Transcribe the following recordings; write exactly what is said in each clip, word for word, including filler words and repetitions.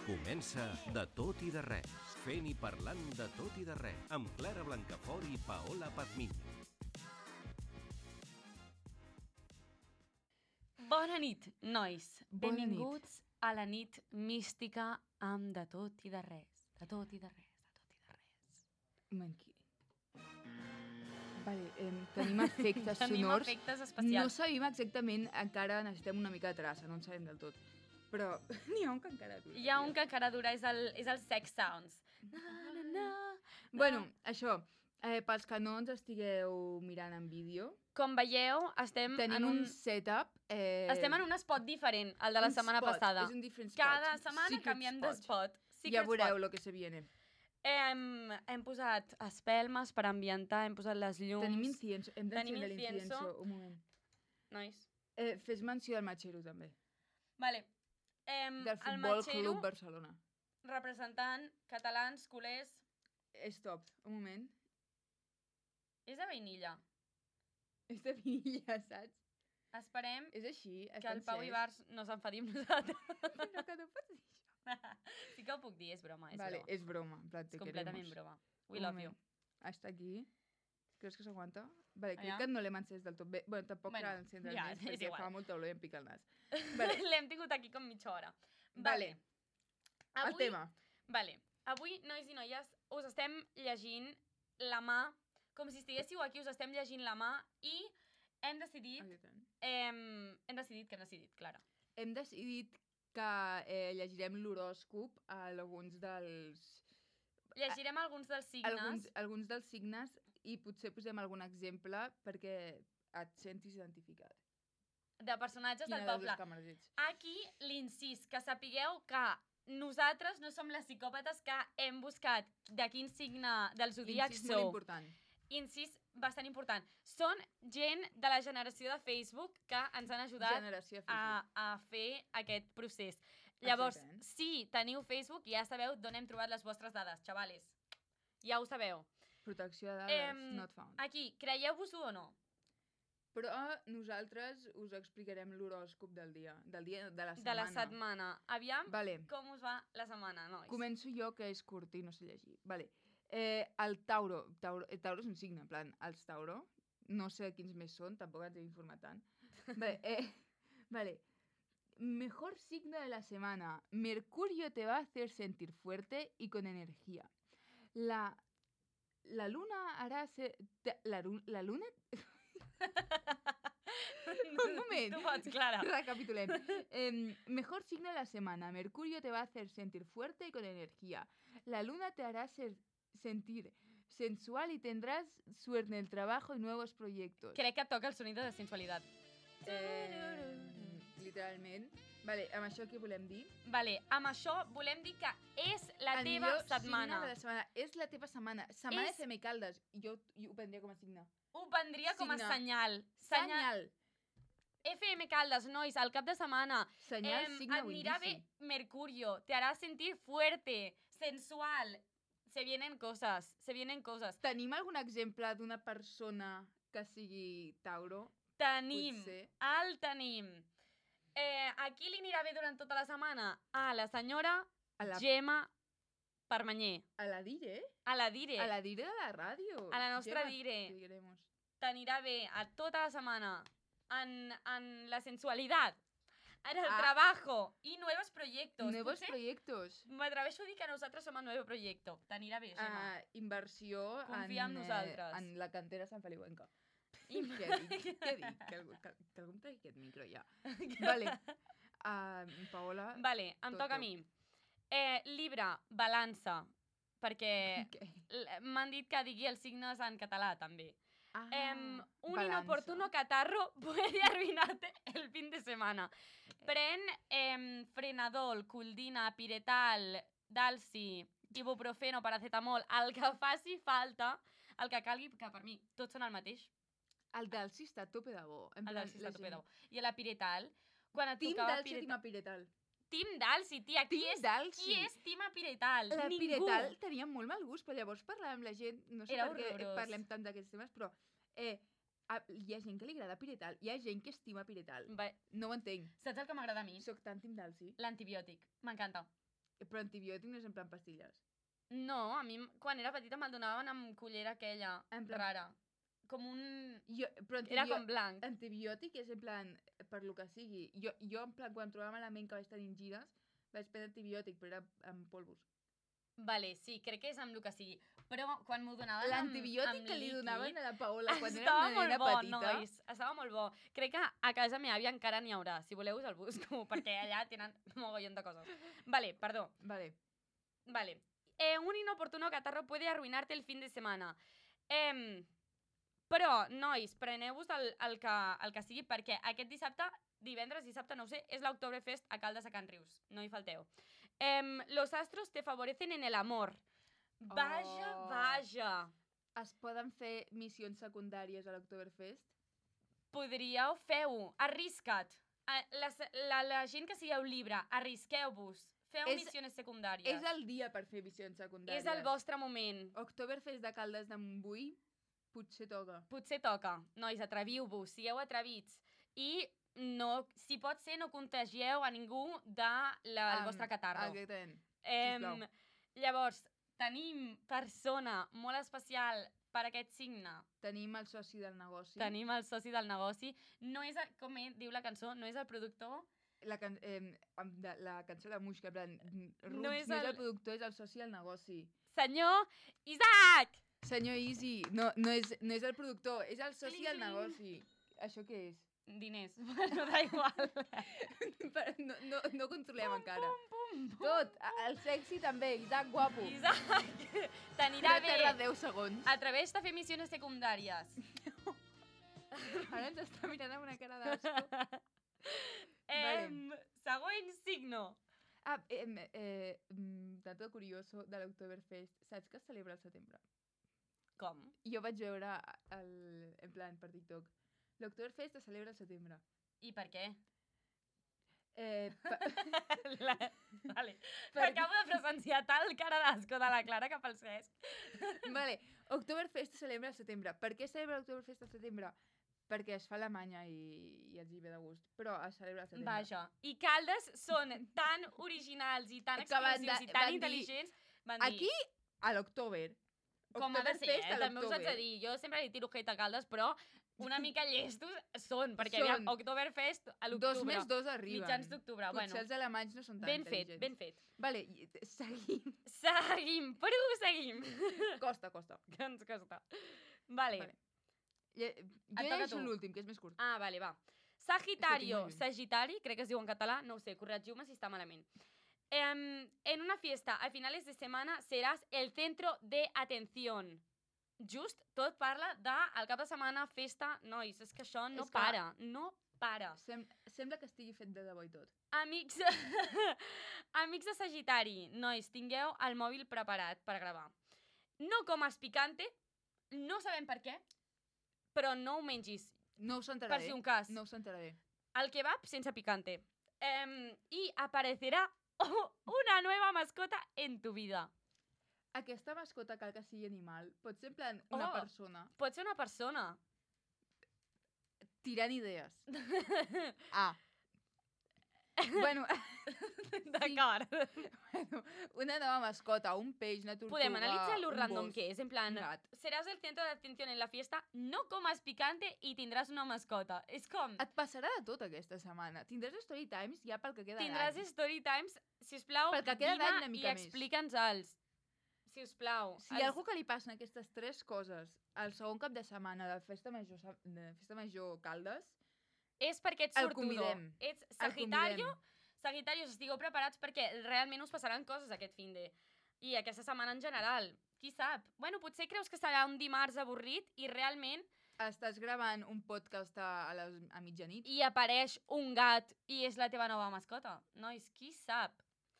Comença De tot i de res, fent i parlant de tot i de res, amb Clara Blancafort i Paola Pazmiño. Bona nit, nois. Bona Benvinguts nit. a la nit mística amb De tot i de res. De tot i de res, de tot i de res. Manqui. Vale, eh, tenim efectes Tenim sonors. efectes especials. No sabem exactament, encara necessitem una mica de traça, no en sabem del tot. Però n'hi ha un que encara dura. Hi ha un que encara dura, és el, és el Sex Sounds. Na, na, na, Bueno, això, eh, pels que no ens estigueu mirant en vídeo, Com veieu, estem tenim en un... un setup... Eh, Estem en un spot diferent, el de la un setmana spot, passada. és un different spot. Cada setmana Secret canviem spot. de spot. Secret Ja veureu spot. lo que se viene. Hem, hem posat espelmes per ambientar, hem posat les llums. Tenim incienso. Hem Tenim d'encendre incienso. l'incienso. Un moment. Nois. Eh, fes menció del Matxero, també. Vale. Em, Del el Futbol Matxero, Club Barcelona. representant catalans, culers, Stop, un moment. és de vainilla. És de vinilla, saps? Esperem És així, que el Pau Ibars no s'enfadi amb nosaltres. Però que no pots dir això. Sí que ho puc dir, és broma, és Vale, broma. és broma. En plan, És te completament queremos. broma. We Un love moment. you. Hasta aquí. Creus que s'aguanta? Vale, crec Allà? que no l'hem encès del tot bé. Bueno, tampoc Bueno, cal encendre ja, més és perquè igual. fa molta olor i em pica el nas. Vale. L'hem tingut aquí com mitja hora. Vale. El tema. Vale. Avui, nois i noies, us estem llegint la mà, com si estiguéssiu aquí, us estem llegint la mà i hem decidit... Aquí tant. Hem, hem decidit, que hem decidit, Clara? Hem decidit que eh, llegirem l'horòscop a alguns dels... Llegirem alguns dels signes. Alguns, alguns dels signes i potser posem algun exemple perquè et sentis identificat. De personatges Quina del de les poble. dues càmeres ets? Aquí l'incís, que sapigueu que nosaltres no som les psicòpates que hem buscat de quin signe del zodíac Incís molt sou. important. Incís bastant important. Són gent de la generació de Facebook que ens han ajudat Generació de a, Facebook. a fer aquest procés. Llavors, Exactament. si teniu Facebook, ja sabeu d'on hem trobat les vostres dades, xavales. Ja ho sabeu. Protecció de dades, Em, not found. Aquí, creieu-vos-ho o no? Però nosaltres us explicarem l'horòscop del dia, del dia de la setmana. De la setmana. Aviam Vale. com us va la setmana, nois. Començo jo, que és curt i no sé llegir. Vale. Eh, el Tauro. Tauro. El Tauro és un signe, en plan, els Tauro. No sé quins més són, tampoc ens he informat tant. Vale. Eh, vale. Mejor signo de la semana. Mercurio te va a hacer sentir fuerte y con energía. La, la luna hará ser... te- La, ru- la luna... Un moment. Tu pots, Clara. Recapitulem. Eh, mejor signo de la semana. Mercurio te va a hacer sentir fuerte y con energía. La luna te hará ser- sentir sensual y tendrás suerte en el trabajo y nuevos proyectos. Crec que et toca el sonido de sensualitat. Eh, literalment. Vale, amb això què volem dir? Vale, amb això volem dir que és la El teva millor setmana. signe de la setmana. És la teva setmana. Setmana És- F M Caldes. Jo, jo ho prendria com a signe. Ho prendria com a Signe. senyal. Senyal. F M Caldes, nois, al cap de setmana. Senyal, Em, signe o Anirà indici. bé Mercurio. Te hará sentir fuerte, sensual. Se vienen cosas, se vienen cosas. Tenim algun exemple d'una persona que sigui Tauro? Tenim, Potser. el tenim. Eh, a qui li anirà bé durant tota la setmana? A la senyora A la- Gemma Permanyer. A la Dire? A la Dire. A la Dire de la ràdio. A la nostra Gemma, Dire. te queremos. T'anirà bé a tota la setmana en, en la sensualidad, en el Ah. trabajo i nuevos proyectos. Nuevos Potser proyectos. m'atreveixo a dir que nosaltres som el nuevo proyecto. T'anirà bé, Gemma. Uh, inversió Confia en en, nosaltres. Eh, en la cantera Sant Feliuenca. I- Què dic? Què dic? Que algú, que, que algú em tregui aquest micro ja. Vale. Uh, Paola... Vale, em Tot, toca a tot. mi. Eh, Libra, balança, perquè Què? l- m'han dit que digui els signes en català, també. Ah, Em, un balança. inoportuno catarro puede arruinarte el fin de semana. Pren em, frenadol, coldina, piretal, dalsi, ibuprofeno, paracetamol, el que faci falta, el que calgui, que per mi tots són el mateix. El del sí està a tope de bo. En El plan, dalsi la està tope de gent- bo. I la piretal, quan et Team tocava Dalsi o piretal... Team Piretal? Team Dalsi, tia. Qui Team és, Dalsi. qui és Team Piretal? La Ningú. Piretal tenia molt mal gust, però llavors parlàvem amb la gent, no sé Era per què horrorós. parlem tant d'aquests temes, però eh, a- hi ha gent que li agrada Piretal, hi ha gent que estima Piretal. Va, No ho entenc. saps el que m'agrada a mi? Soc tan Team Dalsi. L'antibiòtic. M'encanta. Però antibiòtic no és en plan pastilles. No, a mi quan era petita me'l donaven amb cullera aquella, En plan- rara. Com un... Jo, però Era antibiò... com blanc. antibiòtic és en plan, per lo que sigui. Jo, jo en plan, quan em trobava malament que vaig tenir gires, vaig prendre antibiòtic, però era amb polvos. Vale, sí, crec que és amb el que sigui. Però quan m'ho donaven amb, L'antibiòtic amb que li líquid, donaven a la Paola quan era estava una molt nena bo, petita... nois. Estava molt bo. Crec que a casa meva àvia encara n'hi haurà. Si voleu us el busco, perquè allà tenen mogollon de coses. Vale, perdó. Vale. Vale. Eh, un inoportuno catarro puede arruinarte el fin de semana. Eh, però, nois, preneu-vos el, el, que, el que sigui, perquè aquest dissabte, divendres, dissabte, no ho sé, és l'Oktoberfest a Caldes a Can Rius. No hi falteu. Eh, los astros te favorecen en el amor. Vaja, Oh. vaja. Es poden fer missions secundàries a l'Oktoberfest? Podríeu, feu-ho, arrisca't. A- La, la, la gent que sigueu llibre, arrisqueu-vos. Feu És- missions secundàries. És el dia per fer missions secundàries. És el vostre moment. Oktoberfest de Caldes de Montbui potser toca. Potser toca. Nois, atreviu-vos, sigueu atrevits. I no, si pot ser, no contagieu a ningú de la, el Am, vostre catarro. Exactament. Em, sisplau. llavors, tenim persona molt especial per aquest signe. Tenim el soci del negoci. Tenim el soci del negoci. No és, el, com ell diu la cançó, no és el productor. La, can eh, amb de, la cançó de Muixca, en plan, Roots, No no és és, no és el- el productor, és el soci del negoci. Senyor Isaac! Senyor Easy, no, no, és, no és el productor, és el soci Cling, del cling. negoci. Això què és? Diners. Bueno, da igual. Però no, no, no controlem encara. Pum, pum. Tot, a- el sexy també, Isaac guapo. Isaac, t'anirà Ja tarda bé. deu segons. Atreveix-te a fer missions secundàries. Ara ens està mirant amb una cara d'asco. Em, següent signo. Ah, eh, eh, mm, dato curioso de l'Oktoberfest. Saps que es celebra al setembre? Com? Jo vaig veure el, en plan per TikTok. L'Oktoberfest es celebra al setembre. I per què? Eh, pa, La... Vale. Per- Acabo de presenciar tal cara d'asco de la Clara cap al Cesc. vale, Oktoberfest es celebra al setembre. Per què es celebra l'Oktoberfest al setembre? Perquè es fa a Alemanya i, i els hi ve de gust. Però es celebra al setembre. Vaja. I Caldes són tan originals i tan Que van exclusius de- i tan van dir- intel·ligents. Van dir, Aquí, a l'octubre. com ha de ser, Oktoberfest eh? a També us haig de l'octubre. dir. Jo sempre li tiro hate a Caldes, però una mica llestos són, perquè Són. aviam, Oktoberfest a l'octubre. Dos més dos arriben. Mitjans d'octubre, Potser bueno. els alemanys no són tan Ben fet, intel·ligents. ben fet. Vale, i- seguim. Seguim, proseguim. Costa, costa. Que ens costa. Vale. Vale. Lle- Jo toca llegeixo tu. l'últim, que és més curt. Ah, vale, va. Sagitario, molt lluny. Sagitari, crec que es diu en català, no ho sé, corregiu-me si està malament. Em, en una fiesta a finales de semana serás el centro de atención. Just tot parla de al cap de setmana, festa, nois, és que això no És que- para, no para. Sem sembla que estigui fet de debò i tot. Amics, amics de Sagitari, nois, tingueu el mòbil preparat per gravar. No comas picante, no sabem per què, però no ho mengis, No us per enteraré. si un cas. No us enteraré. Al kebab sense picante. Em, y aparecerá una nueva mascota en tu vida. Aquesta mascota cal que sigui animal. Pot ser en plan una Oh. persona. Pot ser una persona. Tirant idees. Ah. bueno, D'acord. bueno, una nova mascota, un peix, una tortuga, Podem analitzar lo un random gos, que és. En plan, un gat. seràs el centro de atención en la fiesta, no comas picante y tindràs una mascota. És com, Et passarà de tot aquesta setmana. Tindràs story times ja pel que queda tindràs d'any. story times, sisplau, Pel que queda d'any una vine mica i més. explica'ns-els. Sisplau. Si hi ha algú que li passen aquestes tres coses al segon cap de setmana de Festa Major, Sa- de Festa Major Caldes, És perquè ets el sortudo. convidem. Ets el Sagitario. convidem. Sagitarios, estigueu preparats perquè realment us passaran coses aquest finde. I aquesta setmana en general. Qui sap? Bueno, potser creus que serà un dimarts avorrit i realment Estàs gravant un podcast a, a, les, a mitjanit. hi apareix un gat i és la teva nova mascota. Nois, qui sap?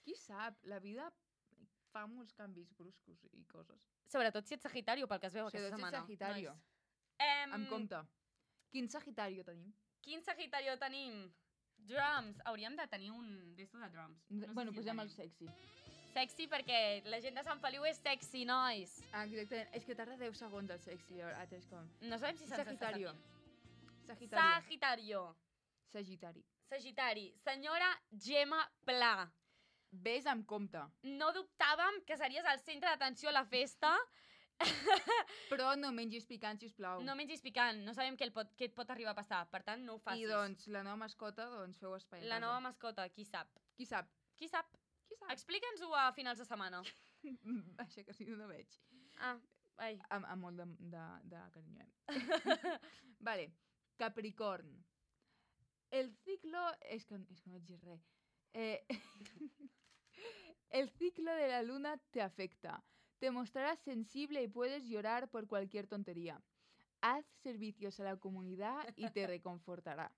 Qui sap? La vida fa molts canvis bruscos i coses. Sobretot si ets Sagitario, pel que es veu Sobretot aquesta si ets setmana. Sagitario. Nois. Em, Amb compte. Quin Sagitario tenim? Quin Sagitario tenim? Drums. Hauríem de tenir un d'esto de drums. No sé bueno, si posem tenim. el sexy. Sexy perquè la gent de Sant Feliu és sexy, nois. Ah, exactament. És que tarda deu segons el sexy. Ara és com... No sabem si se'ns està Sagitario. sentint. Sagitario. Sagitario. Sagitari. Sagitari. Senyora Gemma Pla. Ves amb compte. No dubtàvem que series el centre d'atenció a la festa. Però no mengis picant, sisplau. No mengis picant, no sabem què, el pot, què et pot arribar a passar, per tant no ho facis. I doncs, la nova mascota, doncs feu espai a La casa. nova mascota, qui sap? Qui sap? Qui sap? Qui sap? Explica'ns-ho a finals de setmana. Això que sí, no veig. Ah, ai. Amb, amb molt de, de, de carinyo, eh? Vale, Capricorn. El ciclo... És que, és que no vaig dir res. Eh... El ciclo de la luna te afecta. Te mostrarás sensible y puedes llorar por cualquier tontería. Haz servicios a la comunidad y te reconfortarà.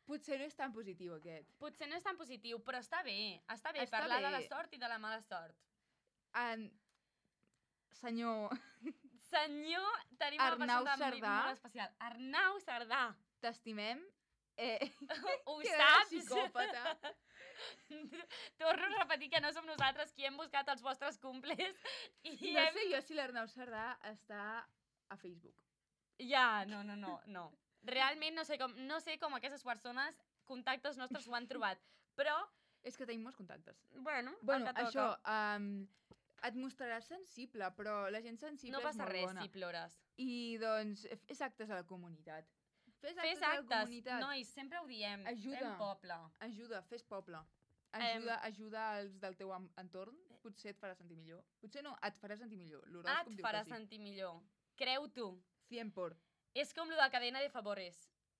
Potser no és tan positiu, aquest. Potser no és tan positiu, però està bé. Està bé Està parlar bé. de la sort i de la mala sort. En... Senyor, Senyor, tenim Arnau una persona Cerdà. molt especial. Arnau Cerdà. t'estimem. Eh, Ho que saps? psicòpata. Torno a repetir que no som nosaltres qui hem buscat els vostres cumples. I No hem... sé jo si l'Arnau Cerdà està a Facebook. Ja, no, no, no, no. Realment no sé com, no sé com aquestes persones, contactes nostres ho han trobat. Però, És que tenim molts contactes. bueno, Bueno, el que això, toca. um, et mostraràs sensible, però la gent sensible No és passa molt res bona. si plores. I, doncs, fes actes a la comunitat. Fes actes, Fes a la actes, comunitat. nois, sempre ho diem. Ajuda. Fem poble. Ajuda, fes poble. Ajuda, ajuda els del teu am- entorn. Potser et farà sentir millor. Potser no, et farà sentir millor. Ah, L'horòscop et diu farà que sí. sentir millor. Creu-t'ho. cien por. És com lo de cadena de favores.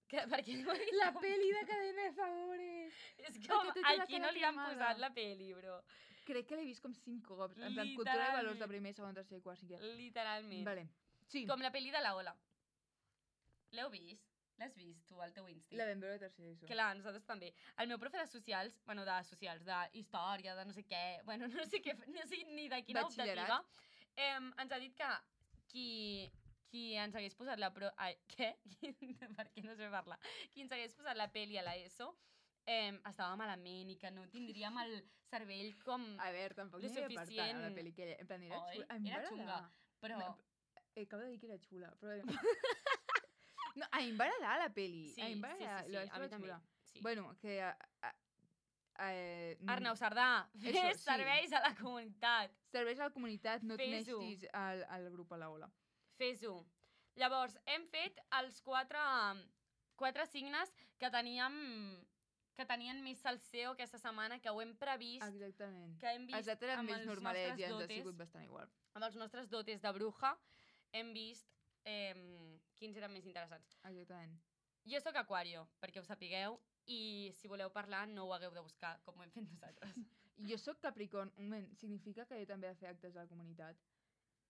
Que, perquè no ho he vist La com- peli de Cadena de Favores. És com, que té tota la aquí cara no li han cremada. posat la peli, bro. Crec que l'he vist com cinc cops. En plan, cultura de valors de primer, segon, tercer, quart, cinquè. Literalment. Vale. Sí, Com la peli de la Ola. L'heu vist? L'has vist tu al teu Insta? la vam veure a tercer d'ESO. Clar, nosaltres també. El meu profe de socials, bueno, de socials, de història, de no sé què, bueno, no sé, què, no sé ni de quina Batxillerat. optativa, eh, ens ha dit que qui, qui ens hagués posat la... Pro... Ai, què? Per què no sé parlar? Qui ens hagués posat la peli a l'ESO eh, estava malament i que no tindríem el cervell com... A veure, tampoc Lo n'hi havia per tant a la suficient. pel·li. Que, en plan, era Oi, xula. A mi era em va xunga, agradar. però... No, eh, acabo de dir que era xula, però... no, a mi em va agradar la pel·li. Sí, a mi em va sí, sí, agradar. sí, la vaig a mi trobar també. xula. Sí. Bueno, que... A, a, a, eh, no- Arnau Cerdà, fes Eso, sí. serveis a la comunitat. Serveix a la comunitat, no et Fes-ho. nestis al, al grup a la ola. Fes-ho. Llavors, hem fet els quatre, quatre signes que teníem que tenien més salseo aquesta setmana, que ho hem previst, Exactament. que hem vist Els altres eren amb més els normalets nostres i ens ha dotes, sigut bastant igual. amb els nostres dotes de bruja, hem vist eh, quins eren més interessants. Exactament. Jo sóc aquario, perquè ho sapigueu, i si voleu parlar no ho hagueu de buscar, com ho hem fet nosaltres. Jo sóc Capricorn. Un moment, significa que jo també he de fer actes a la comunitat?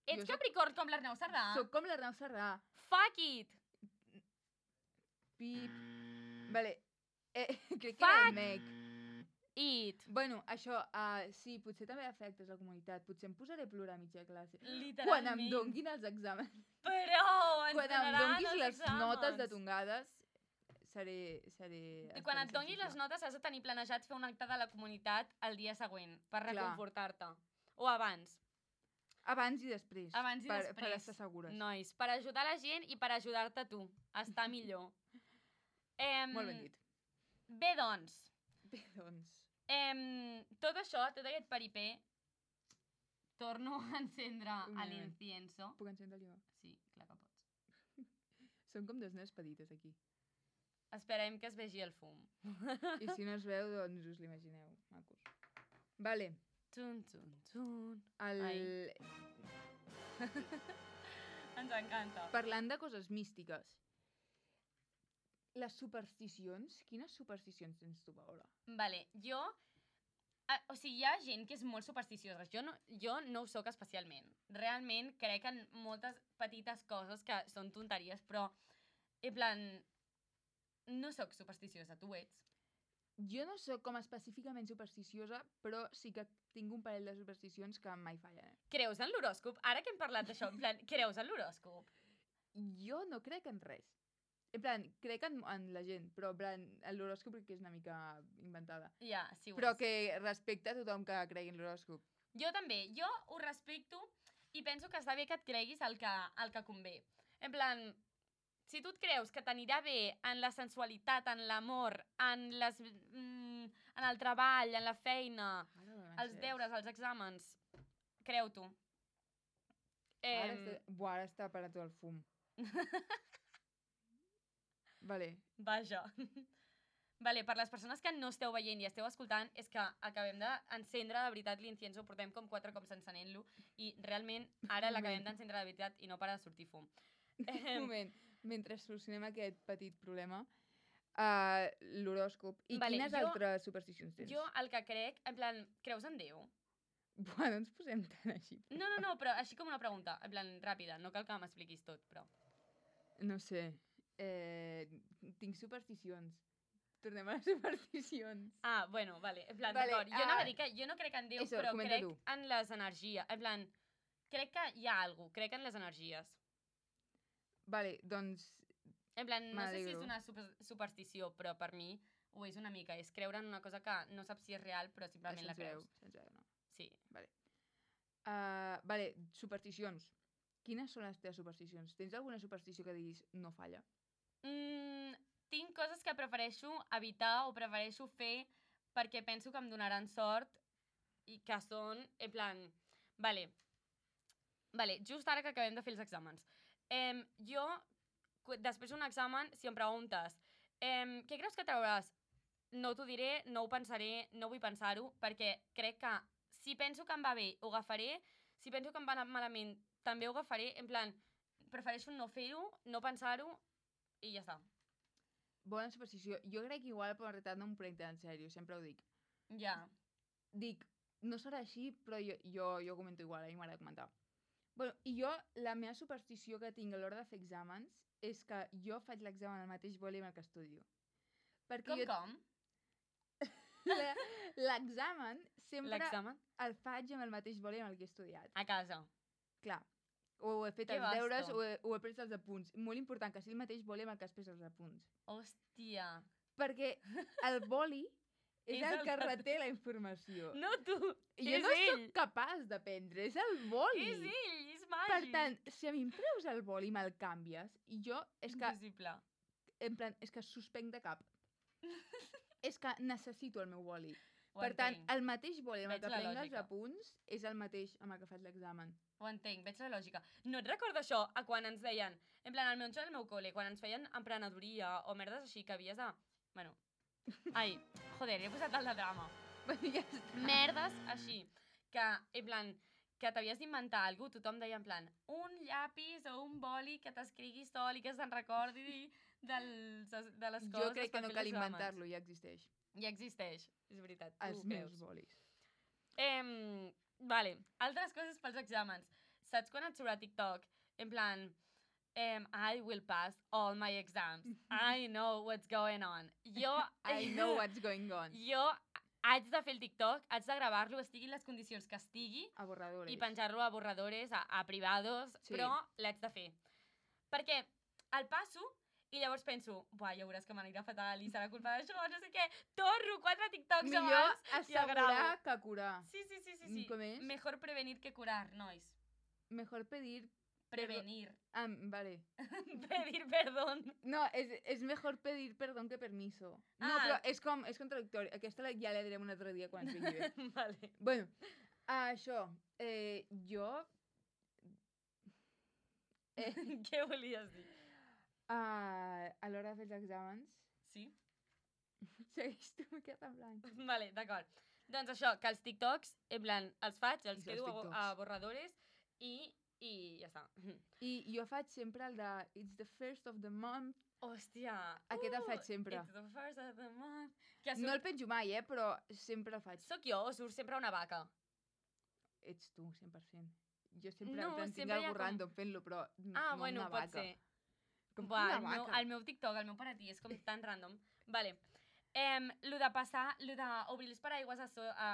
Ets Jo soc- Capricorn com l'Arnau Cerdà? Soc com l'Arnau Cerdà. Fuck it! Pip. Vale. Eh, crec que Fuck! era el Meg. It! Bueno, això, uh, sí, potser també he de fer actes a la comunitat. Potser em posaré a plorar a mitja classe. Literalment. Quan em donguin els exàmens. Però ens Quan em donaran donguis els les exàmens. notes de tongades, seré... seré I quan et estaré donguis les sensible. notes has de tenir planejat fer un acte de la comunitat el dia següent, per Clar. reconfortar-te. O abans. Abans i després. Abans i per, després. Per estar segures. Nois, per ajudar la gent i per ajudar-te tu a estar millor. Em, Molt ben dit. Bé, doncs, Bé, doncs... em, tot això, tot aquest peripé, torno a encendre Un moment. l'incienso. Puc encendre jo? Sí, clar que pots. Són com dos nens petites aquí. Esperem que es vegi el fum. I si no es veu, doncs us l'imagineu. Macos. Vale. Tun, tun, tun. El... Ai. Ens encanta. Parlant de coses místiques. Les supersticions. Quines supersticions tens tu, Paola? Vale, jo... Ah, o sigui, hi ha gent que és molt supersticiosa. Jo no, jo no ho sóc especialment. Realment crec en moltes petites coses que són tonteries, però, en plan, no sóc supersticiosa, tu ho ets. Jo no sóc com específicament supersticiosa, però sí que tinc un parell de supersticions que mai fallen. Creus en l'horòscop? Ara que hem parlat d'això, en plan, creus en l'horòscop? Jo no crec en res. En plan, crec en, en la gent, però en plan, l'horòscop crec que és una mica inventada. Ja, sí ho Però és. que respecta a tothom que cregui en l'horòscop. Jo també, jo ho respecto i penso que està bé que et creguis el que, el que convé. En plan, si tu et creus que t'anirà bé en la sensualitat, en l'amor, en, les, mm, en el treball, en la feina, els deures, els exàmens, creu-t'ho. Ara, Em, està... Buah, ara està parat el fum. Vale. Vaja. Vale, per les persones que no esteu veient i esteu escoltant, és que acabem d'encendre de veritat l'incienso, portem com quatre cops encenent-lo i realment ara l'acabem d'encendre de veritat i no para de sortir fum. Un moment, mentre solucionem aquest petit problema, uh, l'horòscop. I Vale, quines jo- altres supersticions tens? Jo el que crec, en plan, creus en Déu? Buah, no ens posem tan així. No, no, no, però així com una pregunta, en plan, ràpida, no cal que m'expliquis tot, però... No sé. Eh, tinc supersticions. Tornem a les supersticions. Ah, bueno, vale, en plan, Vale, d'acord. Jo anava ah, a dir que jo no crec en Déu, eso, però comenta crec tu. en les energies. En plan, crec que hi ha alguna cosa, crec en les energies. Vale, doncs... En plan, no sé si és M'alegro. una super superstició, però per mi ho és una mica. És creure en una cosa que no saps si és real, però simplement la se'ns veu, creus. se'ns veu, no? Sí. Vale. Uh, vale, supersticions. Quines són les teves supersticions? Tens alguna superstició que diguis no falla? Mm, tinc coses que prefereixo evitar o prefereixo fer perquè penso que em donaran sort i que són, en plan... Vale, vale just ara que acabem de fer els exàmens. Em, jo, cu- després d'un examen, si em preguntes em, què creus que trauràs? No t'ho diré, no ho pensaré, no vull pensar-ho, perquè crec que si penso que em va bé, ho agafaré, si penso que em va anar malament, també ho agafaré, en plan, prefereixo no fer-ho, no pensar-ho, i ja està. Bona superstició. Jo crec que igual, però en realitat no em prenc tan en sèrio, sempre ho dic. Ja. Dic, no serà així, però jo, jo, jo ho comento igual, a mi m'agrada comentar. Bueno, i jo, la meva superstició que tinc a l'hora de fer exàmens és que jo faig l'examen al mateix boli amb el que estudio. Perquè Com, jo, com? la- l'examen sempre L'examen? el faig amb el mateix boli amb el que he estudiat. A casa. Clar, o he fet Que els deures vasto. o he, o he pres els apunts. Molt important que sigui el mateix boli amb el que has pres els apunts. Hòstia. Perquè el boli és, És el el que que- reté la informació. No tu, I jo és no ell. sóc capaç d'aprendre, és el boli. És ell, és Per màgic. tant, si a mi em treus el boli i me'l canvies, i jo, és que, Impossible. en plan, és que suspenc de cap. És que necessito el meu boli. Ho Per tant, entenc. el mateix boli amb el Veig que la prenc els lògica. apunts és el mateix amb el que faig l'examen. Ho entenc, veig la lògica. No et recordo això a quan ens deien, en plan, al meu al meu col·le, quan ens feien emprenedoria o merdes així que havies de... Bueno, ai, joder, he posat el de drama. Ja està. Merdes així, que, en plan, que t'havies d'inventar alguna cosa, tothom deia en plan, un llapis o un boli que t'escrigui sol i que se'n recordi dels, de les coses Jo crec que per no fer cal els exàmens. inventar-lo, ja existeix. Ja existeix, és veritat. tu Els ho meus creus. bolis. Em, vale, altres coses pels exàmens. Saps quan et surt a TikTok? En plan, em, I will pass all my exams. I know what's going on. Jo... I know what's going on. Jo haig de fer el TikTok, haig de gravar-lo, estigui en les condicions que estigui, A borradores. i penjar-lo a borradores, a, a privados, Sí. però l'haig de fer. Perquè el passo i llavors penso, buah, ja veuràs que m'anirà fatal i serà culpa d'això, no sé què. Torno quatre TikToks Millor abans i el assegurar gravo. que curar. Sí, sí, sí, sí, sí. Com és? Mejor prevenir que curar, nois. Mejor pedir... Prevenir. Ah, vale. Pedir perdón. No, és, és mejor pedir perdón que permiso. No, Ah. però és com, és contradictori. Aquesta la- ja la direm un altre dia quan ens vingui bé. Vale. Bueno, això, eh, jo... Eh, Què volies dir? a, a l'hora de fer els exàmens... Sí? Segueix tu, m'he quedat en blanc. Vale, d'acord. Doncs això, que els TikToks, en plan, els faig, els I els quedo a, bo- TikToks. a borradores i, i ja està. I jo faig sempre el de It's the first of the month. Hòstia. Aquest el faig sempre. It's the first of the month. Que No el surt... penjo mai, eh, però sempre el faig. Soc jo o surt sempre una vaca? Ets tu, cent per cent. Jo sempre, No, en plan, tinc sempre hi ha algú com- random fent-lo, però n- Ah, no bueno, una pot vaca. ser. Com Buah, una el meu, vaca. el meu TikTok, el meu per a ti, és com tan random. Vale. Em, lo de passar, lo d'obrir els paraigües a, so, a,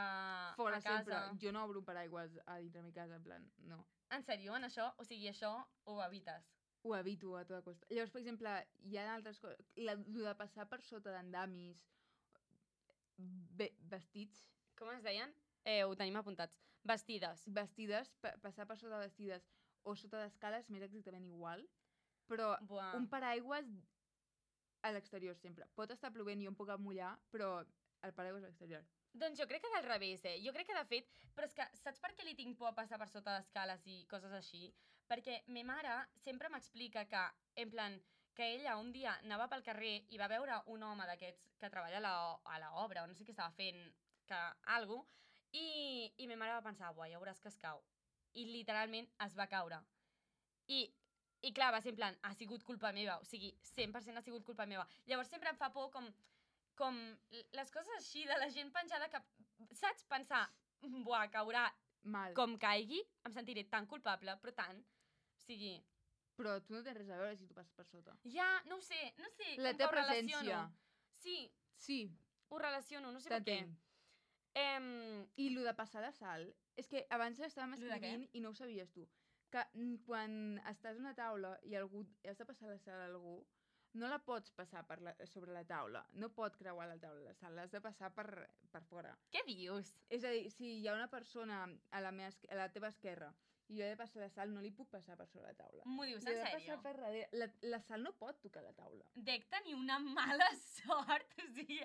Fora a casa. sempre. Jo no obro un paraigües a dintre de mi casa, en plan, no. En sèrio, en això? O sigui, això ho evites? Ho evito a tota costa. Llavors, per exemple, hi ha altres coses... La, lo de passar per sota d'andamis, ve, vestits, Com es deien? Eh, ho tenim apuntats. Vestides. vestides, pa, passar per sota de vestides o sota d'escales m'és exactament igual, però Buah. un paraigües a l'exterior sempre. Pot estar plovent i jo em puc mullar, però el paraigües a l'exterior. Doncs jo crec que del revés, eh? Jo crec que, de fet... Però és que saps per què li tinc por a passar per sota d'escales i coses així? Perquè me mare sempre m'explica que, en plan, que ella un dia anava pel carrer i va veure un home d'aquests que treballa a la, a l'obra, o no sé què estava fent, que algú, i, i ma mare va pensar, buah, ja veuràs que es cau. I literalment es va caure. I, i clar, va ser en plan, ha sigut culpa meva, o sigui, cent per cent ha sigut culpa meva. Llavors sempre em fa por com... com les coses així de la gent penjada que, saps, pensar, buah, caurà Mal. com caigui, em sentiré tan culpable, però tant. O sigui, Però tu no tens res a veure si tu passes per sota. ja, no ho sé, no sé, La com que teva ho relaciono. presència. Sí, Sí, ho relaciono, no sé per què. t'entenc. Em, I lo de passar de salt, és que abans estàvem Lo de què? escrivint i no ho sabies tu. Que mm, quan estàs a una taula i algú has de passar la sal a algú, no la pots passar per la, sobre la taula. No pot creuar la taula la sal, l'has de passar per, per fora. què dius? És a dir, si hi ha una persona a la, meva, esque- a la teva esquerra i jo he de passar la sal, no li puc passar per sobre la taula. M'ho dius Jo en he de sèrio? passar per darrere. La, la sal no pot tocar la taula. Dec tenir una mala sort, o sigui,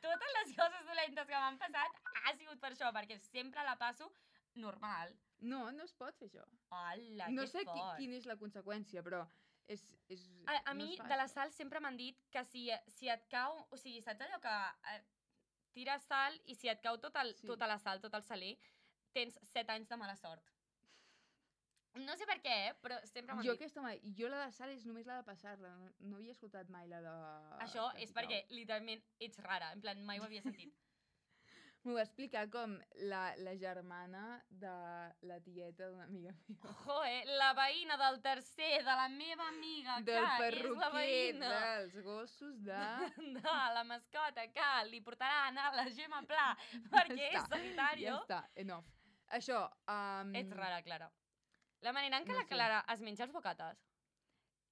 totes les coses dolentes que m'han passat ha sigut per això, perquè sempre la passo normal. No, no es pot fer això. Hola, No que sé qui, fort. quina és la conseqüència, però és... és A, a no mi, es fa de la això. sal, sempre m'han dit que si, si et cau... O sigui, saps allò que eh, tires sal i si et cau tot el, Sí. tota la sal, tot el saler, tens set anys de mala sort. No sé per què, eh, però sempre m'han Jo dit. aquesta mai, jo la de sal és només la de passar-la, no, no havia escoltat mai la de... Això que és si perquè, cau. literalment, ets rara. En plan, mai ho havia sentit. M'ho va explicar com la, la germana de la tieta d'una amiga meva. Joe, la veïna del tercer, de la meva amiga, Del que és la perruquer, veïna dels gossos de... de la mascota, que li portaran a la Gemma Pla perquè Ja és està, sanitario. Ja està, enough. Això... Um, Ets rara, Clara. La manera en què no la sé. Clara es menja els bocates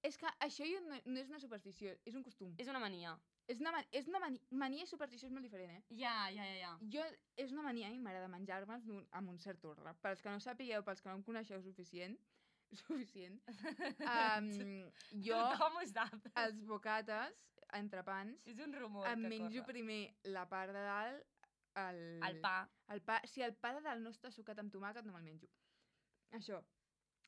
És que això jo no, no és una superstició, és un costum. és una mania. És una, man és una mani mania i superstició és molt diferent, eh? Ja, ja, ja, ja. Jo, és una mania, a mi m'agrada menjar-me'ls d'un- amb un cert ordre. Pels que no sapigueu, pels que no em coneixeu suficient, suficient, um, jo, Tothom ho sap. els bocates, entrepans, És un rumor em que menjo corre. primer la part de dalt, el, El pa. el pa. Si el pa de dalt no està sucat amb tomàquet, no me'l menjo. Això.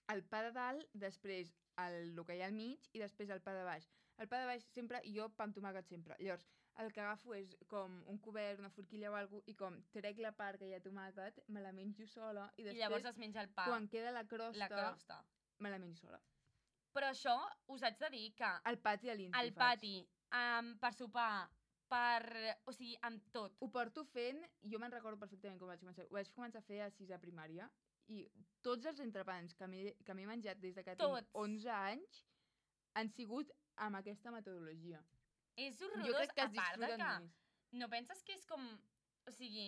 El pa de dalt, després el, el que hi ha al mig i després el pa de baix. El pa de baix sempre, jo pa amb tomàquet sempre. Llavors, el que agafo és com un cobert, una forquilla o alguna cosa, i com trec la part que hi ha tomàquet, me la menjo sola, i I després, llavors es menja el pa. quan queda la crosta, La crosta. me la menjo sola. Però això us haig de dir que Al pati a l'Insti al faig. pati, um, per sopar, per... O sigui, amb tot. Ho porto fent, jo me'n recordo perfectament com vaig començar. Ho vaig començar a fer a sisè primària, i tots els entrepans que m'he que m'he menjat des de que Tots. tinc onze anys han sigut amb aquesta metodologia. És Jo horrorós, crec que a es part de disfruten que... més. No penses que és com... O sigui,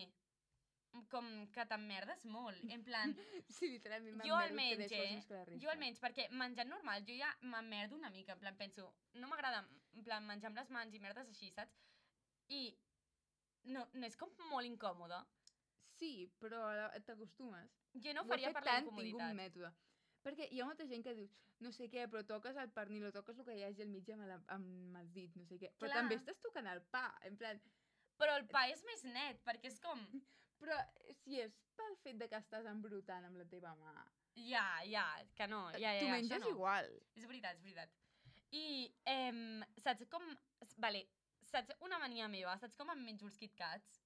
com que t'emmerdes molt. En plan, Sí, literalment jo m'emmerdo almenys, tres vegades eh? més que la resta. Jo almenys, perquè menjant normal, jo ja m'emmerdo una mica. En plan, penso, no m'agrada en plan menjar amb les mans i merdes així, saps? I no, no és com molt incòmode. Sí, però ara t'acostumes. Jo no ho Ho he faria fet per la tant, tinc un incomoditat. mètode. Perquè hi ha molta gent que diu, no sé què, però toques el pernil o toques el que hi hagi al mig amb, la, amb els dits, no sé què. Però Clar. també estàs tocant el pa, en plan... Però el pa és més net, perquè és com... Però si és pel fet de que estàs embrutant amb la teva mà, Ja, ja, que no, ja, ja, ja, tu això menges no. igual. És veritat, és veritat. I, em, saps com... Vale, saps una mania meva, saps com em menjo els KitKats?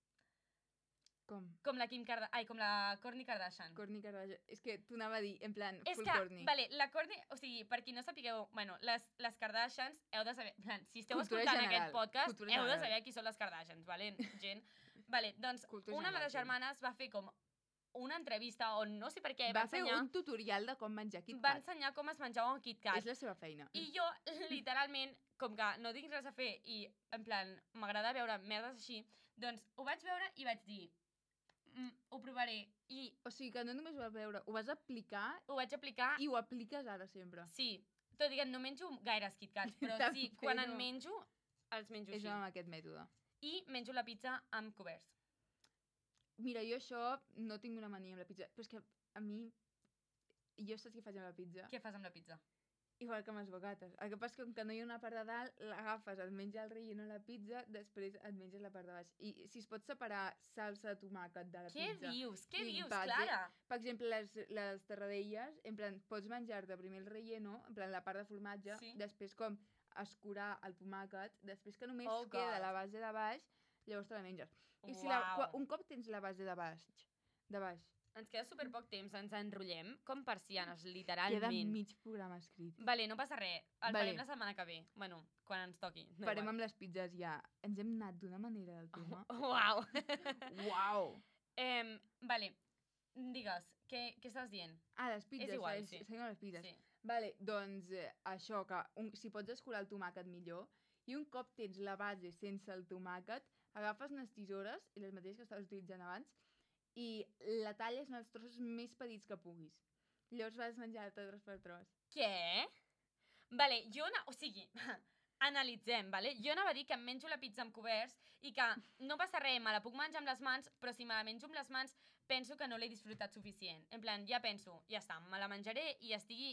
Com? Com la Kim Kardashian, ai, com la Kourtney Kardashian. Kourtney Kardashian. És que t'ho anava a dir, en plan, És full que, Kourtney. vale, la Kourtney, o sigui, per qui no sapigueu, bueno, les, les Kardashians heu de saber, en plan, si esteu Cultura escoltant general, aquest podcast, cultura heu de general. saber qui són les Kardashians, vale, gent? Vale, doncs, Cultura una de general, les gent. germanes va fer com una entrevista on no sé per què Va va, fer ensenyar, un tutorial de com menjar va KitKat. ensenyar com es menjava un KitKat. És la seva feina. I jo, literalment, com que no tinc res a fer i, en plan, m'agrada veure merdes així, doncs ho vaig veure i vaig dir, mm, ho provaré. I O sigui que no només ho vas veure, ho vas aplicar ho vaig aplicar, i ho apliques ara sempre. sí. Tot i que no menjo gaires KitKats, però També sí, quan en no. menjo, els menjo És així. amb aquest mètode. I menjo la pizza amb coberts. Mira, jo això no tinc una mania amb la pizza, però és que a mi... Jo saps què faig amb la pizza? Què fas amb la pizza? igual que amb les bocates. El que passa és que com que no hi ha una part de dalt, l'agafes, et menges el relleno a la pizza, després et menges la part de baix. I si es pot separar salsa de tomàquet de la Què pizza... dius? Què i dius, base, Clara? Per exemple, les, les terradelles, en plan, pots menjar-te primer el relleno, en plan, la part de formatge, Sí. després com escurar el tomàquet, després que només Oh, queda God. la base de baix, llavors te la menges. I si la, Uau. qua- un cop tens la base de baix, de baix, Ens queda super poc temps, ens enrotllem com persianes, queda literalment. mig programa escrit. Vale, no passa res. El Vale. farem la setmana que ve. Bueno, quan ens toqui. No Farem igual. amb les pizzas ja. Ens hem anat d'una manera del tema. Uau. Uau! Em, vale, digues, què, què estàs dient? Ah, les pizzas. És igual, seguim- sí. Seguim amb les pizzas. Sí. Vale, doncs eh, això, que un, si pots escurar el tomàquet millor, i un cop tens la base sense el tomàquet, agafes unes tisores, i les mateixes que estaves utilitzant abans, i la talles en els trossos més petits que puguis. Llavors vas menjar-te tros per tros. Què? Vale, jo... Na... O sigui, analitzem, vale? Jo anava a dir que em menjo la pizza amb coberts i que no passa res, me la puc menjar amb les mans, però si me la menjo amb les mans penso que no l'he disfrutat suficient. En plan, ja penso, ja està, me la menjaré i estigui,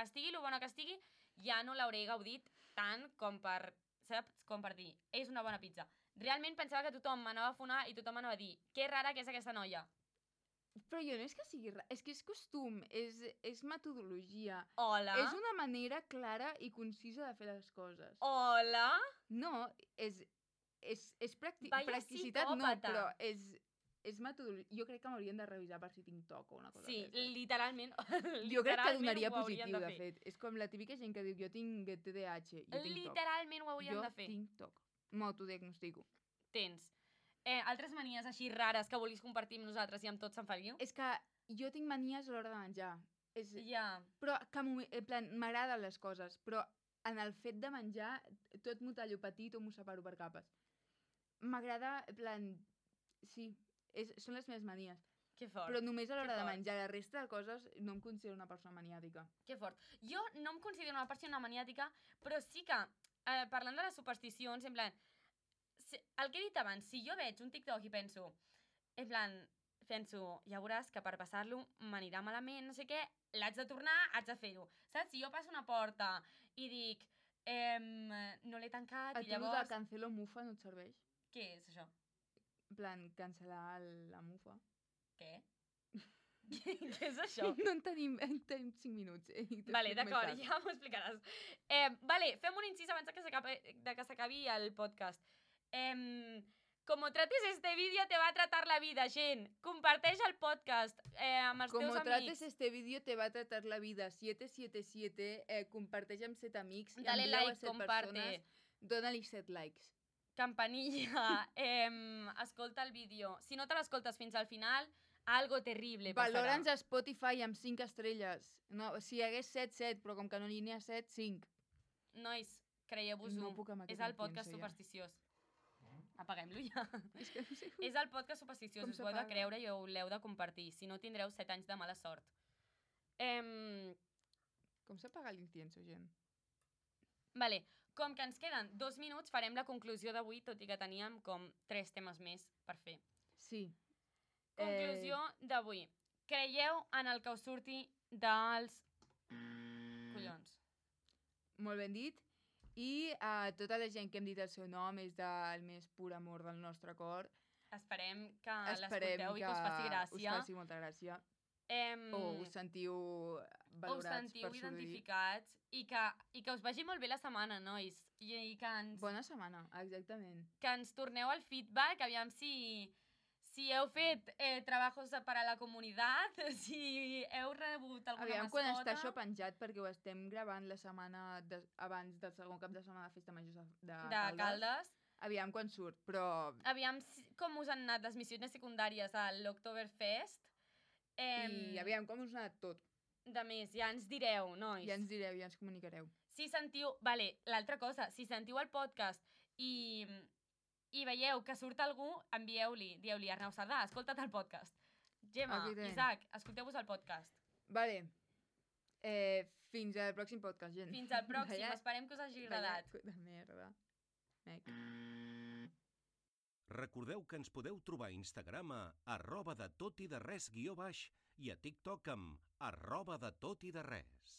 estigui lo bona que estigui, ja no l'hauré gaudit tant com per, saps? Com per dir, és una bona pizza. Realment pensava que tothom m'anava a fonar i tothom m'anava a dir, que rara que és aquesta noia. Però jo no és que sigui... ra- És que és costum, és, és metodologia. Hola? És una manera clara i concisa de fer les coses. Hola? No, és, és, és practi Vaya practicitat, no, psicòpata. però és, és metodologia. Jo crec que m'haurien de revisar per si tinc toc o una cosa Sí, d'aquestes. literalment. Jo crec que literalment donaria ho haurien positiu, de, fer. fet. És com la típica gent que diu jo tinc T D A H, jo tinc toc. Literalment ho haurien Jo de fer. tinc toc. M'autodiagnostico. Tens. Eh, altres manies així rares que vulguis compartir amb nosaltres i amb tots Sant Feliu? És que jo tinc manies a l'hora de menjar. És, Ja. però que m'ho- en plan, m'agraden les coses, però en el fet de menjar tot m'ho tallo petit o m'ho separo per capes. M'agrada, en plan, sí, és, són les meves manies. Que fort. Però només a l'hora de fort. menjar. La resta de coses no em considero una persona maniàtica. Que fort. Jo no em considero una persona maniàtica, però sí que, eh, parlant de les supersticions, en plan, si, el que he dit abans, si jo veig un TikTok i penso, en plan, penso, ja veuràs que per passar-lo m'anirà malament, no sé què, l'haig de tornar, haig de fer-ho. Saps? Si jo passo una porta i dic, ehm, no l'he tancat A i tu llavors... llavors... de cancelo mufa no et serveix? Què és això? En plan, cancel·lar el- la mufa. Què? Què, què és això? No en tenim, en tenim cinc minuts. Eh? i Vale, t'explico més d'acord, tard. ja m'ho explicaràs. Eh, vale, fem un incís abans de que s'acabi de que s'acabi el podcast. Eh, como trates este vídeo te va a tratar la vida, gent. Comparteix el podcast eh, amb els Como teus trates amics. este vídeo te va a tratar la vida. siete siete siete, eh, comparteix amb set amics. Dale envia-ho a like, set comparte. persones, Dóna-li set likes. Campanilla. Eh, escolta el vídeo. Si no te l'escoltes fins al final, algo terrible passarà. Valora'ns a Spotify amb cinc estrelles. No, si hi hagués set, set, però com que no n'hi ha set, cinc. Nois, creieu-vos-ho. No puc amb És aquest el podcast incienso ja. supersticiós. Apaguem-lo ja. És que no sé És el podcast supersticiós, Com us ho heu de s'apaga? creure i ho l'heu de compartir, si no tindreu set anys de mala sort. Em, com s'apaga l'incienso, gent. vale, com que ens queden dos minuts, farem la conclusió d'avui, tot i que teníem com tres temes més per fer. Sí. Conclusió d'avui. Creieu en el que us surti dels... collons. Molt ben dit. I a tota la gent que hem dit el seu nom és del més pur amor del nostre cor. Esperem que Esperem l'escolteu que i que us faci us gràcia. faci molta gràcia. Em, O us sentiu o us valorats sentiu per sortir. identificats i que, i que us vagi molt bé la setmana, nois. I, i que, ens, Bona setmana, exactament. que ens torneu el feedback, aviam si, si heu fet eh, treballs per a la comunitat, si heu rebut alguna Aviam mascota. quan està això penjat, perquè ho estem gravant la setmana de, abans del segon cap de setmana de Festa Major de, de, de Caldes. Aviam quan surt, però... Aviam si, com us han anat les missions secundàries a l'Oktoberfest. Em, I aviam com us ha anat tot. De més, ja ens direu, nois. Ja ens direu, ja ens comunicareu. Si sentiu... Vale, l'altra cosa, si sentiu el podcast i, i veieu que surt algú, envieu-li, dieu-li, Arnau Sardà, escolta't el podcast. Gemma, Aquí té. Isaac, escolteu-vos el podcast. Vale. Eh, fins al pròxim podcast, gent. Fins al pròxim, Vaya- esperem que us hagi vaya agradat. cu- de merda. Mec. Recordeu que ens podeu trobar a Instagram a arroba de tot i de res guió baix i a TikTok amb arroba de tot i de res.